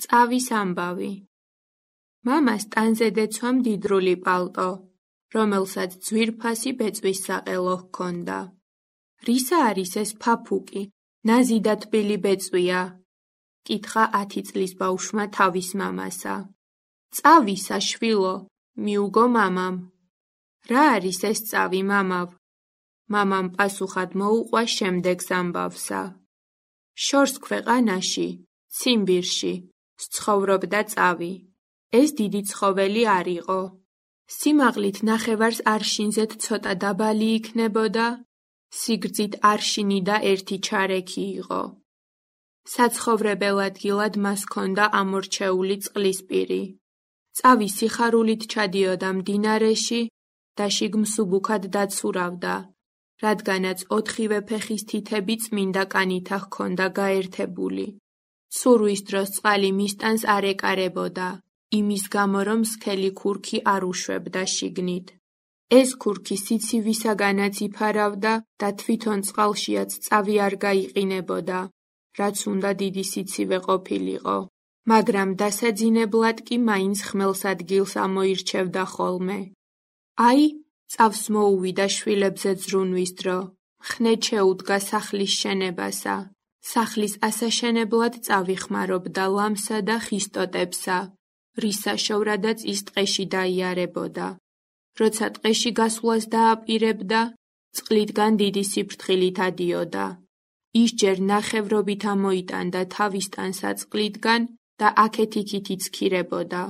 წავის ამბავი. მამას ტანზე დეცვა მდიდრული პალტო, რომელსაც ძვირფასი ბეწვის საყელო ჰქონდა. რისა არის ეს ფაფუკი, ნაზი და თბილი ბეწვია? კითხა 10 წლის ბავშვმა თავის მამასა. წავისა შვილო, მიუგო მამამ. რა არის ეს წავი მამავ? მამამ პასუხად მოუყვა შემდეგს ამბავსა. შორს ქვეყანაში, ციმბირში, სცხოვრობდა წავი. ეს დიდი ცხოველი არ იყო. სიმაღლით ნახევარს არშინზეთ ცოტა დაბალი იქნებოდა, სიგრძით არშინი და 1 ჩარექი იყო. საცხოვრებელ ადგილად მას ჰქონდა ამორჩეული წყლისპირი. წავი სიხარულით ჩადიოდა მდინარეში და შიგმსუბუქად დაცურავდა, რადგანაც 4-ვე ფეხის თითები წმინდა კანითა ჰქონდა გაერთებული. ცურვის დროს წყალი მისტანს არ ეკარებოდა, იმის გამო რომ სქელი ქურქი არ უშვებდა შიგნით. ეს ქურქი სიცივისაგანაც იფარავდა და თვითონ წყალშიაც წავი არ გაიყინებოდა, რაც უნდა დიდი სიცივე ყოფილიყო, მაგრამ დასაძინებლად კი მაინც ხმელს ადგილს ამოირჩევდა ხოლმე. აი, წავს მოუვიდა შვილებზე ზრუნვის დრო, ხნედ შეუდგა სახლის შენებასა. სახლის ასაშენებლად წავი ხმარობდა ლამსა და ხის ტოტებსა, რის საშოვრადაც ის ტყეში დაიარებოდა. როცა ტყეში გასვლას დააპირებდა, წყლიდან დიდი სიფრთხილით ადიოდა. ის ჯერ ნახევრობით ამოიტანდა თავისთან საწყლიდან და აქეთ-იქით იცქირებოდა.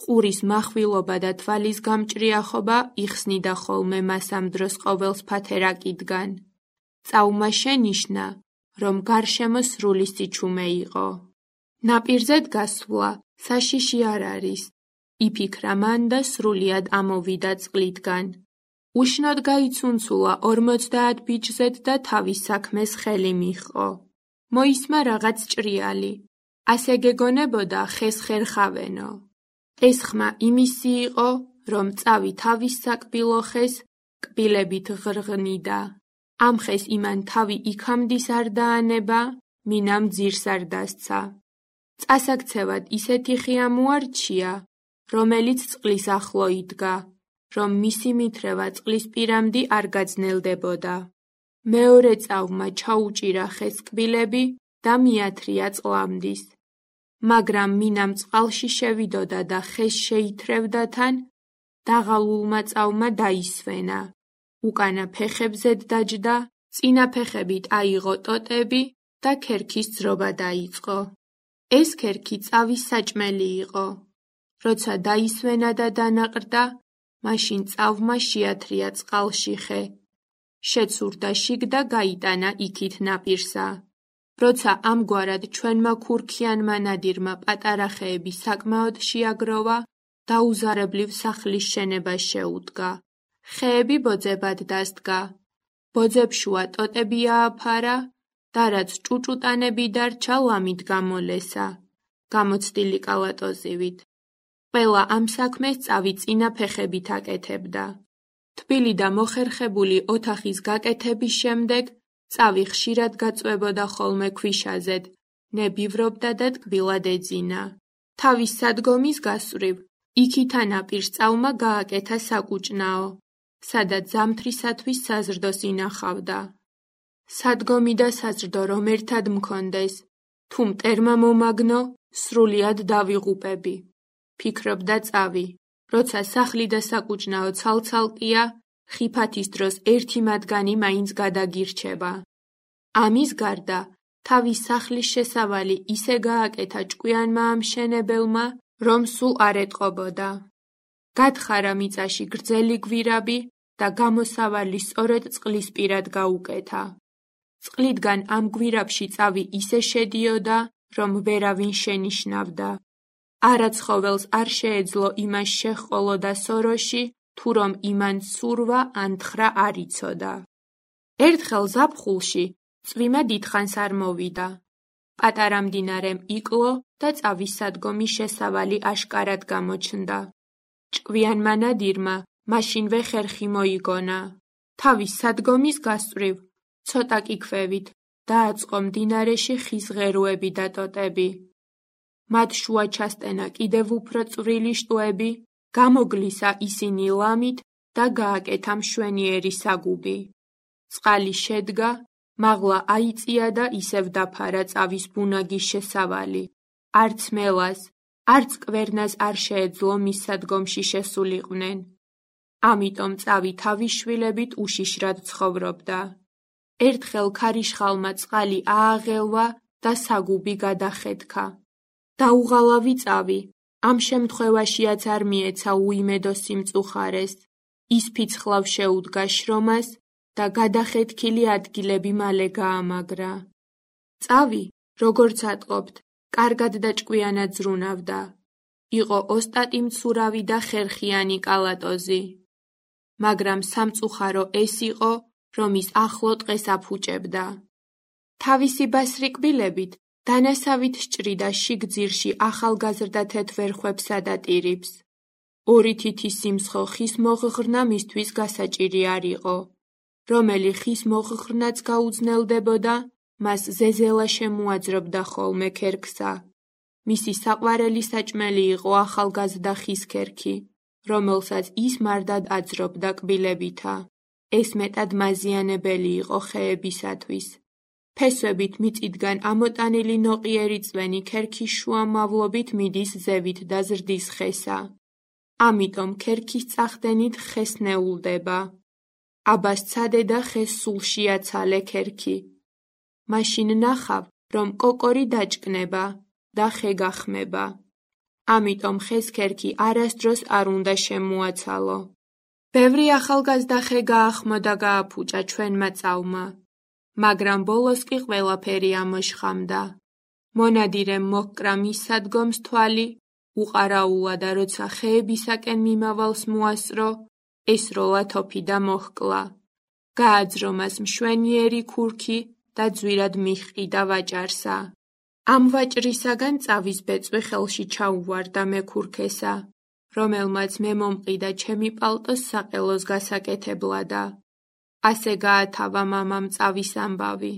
ყურის מחვილობა და თვალის გამჭრიახობა იხსნიდა ხოლმე მას ამ დროს ყოველს ფათერაკიდან. წავმა შენიშნა, რომ გარშემო სრული სიჩუმე იყო. ნაპირზედ გასვლა საშიში არ არის, იფიქრა მან და სრულიად ამოვიდა წყლიდან. უშნოდ გაიცუნცულა 50 ბიჭზედ და თავის საქმეს ხელი მიჰყო. მოისმა რაღაც ჭრიალი. ასე გეგონებოდა ხეს ხერხავენო. ეს ხმა იმისი იყო, რომ წავი თავის საკბილო ხეს კბილებით ღრღნიდა. ამ ხეს იმან თავი იქამდის არ დაანება, მინამ ძირს არ დასცა. წასაქცევად ისეთი ხი ამოარჩია, რომელიც წყლის ახლო იდგა, რომ მისი მithრევა წყლის პირამდი არ გაძნელდებოდა. მეორე წავმა ჩაუჭირა ხეს კბილები და მიათრია წყლამდის. მაგრამ მინამ წყალში შევიდოდა და ხეს შეითრევდა თან, დაღალულმა წავმა დაისვენა. უკანა ფეხებზედ დაჯდა, წინა ფეხებით აიღო ტოტები და ქერქის ძრობა დაიწყო. ეს ქერქი წავის საჭმელი იყო. როცა დაისვენა და დანაყრდა, მაშინ წავმა შეათრია წყალში ხე. შეცურდა შიგ და გაიტანა იქით ნაპირსა. როცა ამგვარად ჩვენმა ქურქიანმა ნადირმა პატარა ხეები საკმაოდ შეაგროვა, დაუზარებლივ სახლის შენება შეუდგა. ხეები ბოძებად დასდგა. ბოძებშუა ტოტები ააფარა და რაც ჭუჭუტანები დარჩა ლამით გამოლესა, გამოცდილი კალატოზივით. ყველა ამ საქმეს წავი წინა ფეხებით აკეთებდა. თბილი და მოხერხებული ოთახის გაკეთების შემდეგ წავი ხშირად გაწვებოდა ხოლმე ქვიშაზედ, ნებივრობდა და ტკბილად ეძინა. თავის სადგომის გასწვრივ იქითა ნაპირს წავმა გააკეთა საკუჭნაო, სადაც ზამთრისათვის საზრდოს ინახავდა. სადგომი და საზრდო რომ ერთად მქონდეს, თუ მტერმა მომაგნო, სრულიად დავიღუპები, ფიქრობდა წავი. როცა სახლი და საკუჭნაო ცალცალკია, ხიფათის დროს ერთი მათგანი მაინც გადაგირჩება. ამის გარდა, თავის სახლის შესავალი ისე გააკეთა ჭკვიანმა ამშენებელმა, რომ სულ არ ეტყობოდა. გათხარა მიწაში გრძელი გვირაბი და გამოსავალი სწორედ წყლისპირად გაუკეთა. წყლიდან ამ გვირაბში წავი ისე შედიოდა, რომ ვერავინ შენიშნავდა. არა ცხოველს არ შეეძლო იმას შეჰყოლოდა სოროში, თუ რომ იმან ცურვა ან თხრა არ იცოდა. ერთხელ ზაფხულში წვიმა დიდხანს არ მოვიდა. პატარა მდინარემ იკლო და წავის სადგომი შესავალი აშკარად გამოჩნდა. ჭკვიანმა ნადირმა მაშინვე ხერხი მოიგონა. თავის სადგომის გასწვრივ ცოტა კი ქვევით დააწყო მდინარეში ხის ღეროები და ტოტები. მათ შუა ჩასტენა კიდევ უფრო წვრილი შტოები, გამოგლისა ისინი ლამით და გააკეთა მშვენიერი საგუბი. წყალი შედგა, მაღლა აიწია და ისევ დაფარა წავის ბუნაგის შესავალი. არც მელას, არც კვერნას არ შეეძლო მის სადგომში შესულიყვნენ. ამიტომ წავი თავის შვილებით უშიშრად ცხოვრობდა. ერთხელ ქარიშხალმა წყალი ააღელვა და საგუბი გადახეთქა. დაუღალავი წავი, ამ შემთხვევაშიაც არ მიეცა უიმედო სიმწუხარეს. ის ფიცხლავ შეუდგა შრომას და გადახეთქილი ადგილები მალე გაამაგრა. წავი, როგორც ატყობთ, კარგად და ჭკვიანად ზრუნავდა. იყო ოსტატი მცურავი და ხერხიანი კალატოზი. მაგრამ სამწუხარო ეს იყო, რომ ის ახლო ტყეს აფუჭებდა. თავისი ბასრი კბილებით დანასავით სჭრიდა შიგძირში ახალგაზრდა თეთვერხვებსა და ტირიფს. ორი თითის სიმცხო ხის მოღღრნა მისთვის გასაჭირი არ იყო. რომელი ხის მოღღრნაც გაუძნელდებოდა, მას ზეზელა შემოაძრობდა ხოლმე ქერქსა. მისი საყვარელი საჭმელი იყო ახალგაზრდა ხის ქერქი, რომელსაც ის მარტად აძრობდა კბილებითა. ეს მეტად მაზიანებელი იყო ხეებისათვის. ფესვებით მიწიდან ამოტანილი ნოყიერი წვენი ქერქის შუამავლობით მიდის ზევით და ზრდის ხესა. ამიტომ ქერქის წახდენით ხეს ნეულდება. აბა სცადე და ხეს სულში აცალე ქერქი. მაშინ ნახავ, რომ კოკორი დაჭკნება და ხე გახმება. ამიტომ ხეს ქერქი არასდროს არ უნდა შემოაცალო. ბევრი ახალგაზრდა ხე გაახმო და გააფუჭა ჩვენმა წავმა. მაგრამ ბოლოს კი ყველაფერი ამოშხამდა. მონადირემ მოჰკრა მის სადგომს თვალი, უყარაულა და როცა ხეებისაკენ მიმავალს მოასწრო, ესროლა თოფი და მოჰკლა. გააძრო მას მშვენიერი ქურქი და ძვირად მიჰყიდა ვაჭარსა. ამ ვაჭრისაგან წავის ბეწვი ხელში ჩაუვარდა მექურქესა, რომელმაც მე მომყიდა ჩემი პალტოს საყელოს გასაკეთებლადა. ასე გაათავა მამამ წავის ამბავი.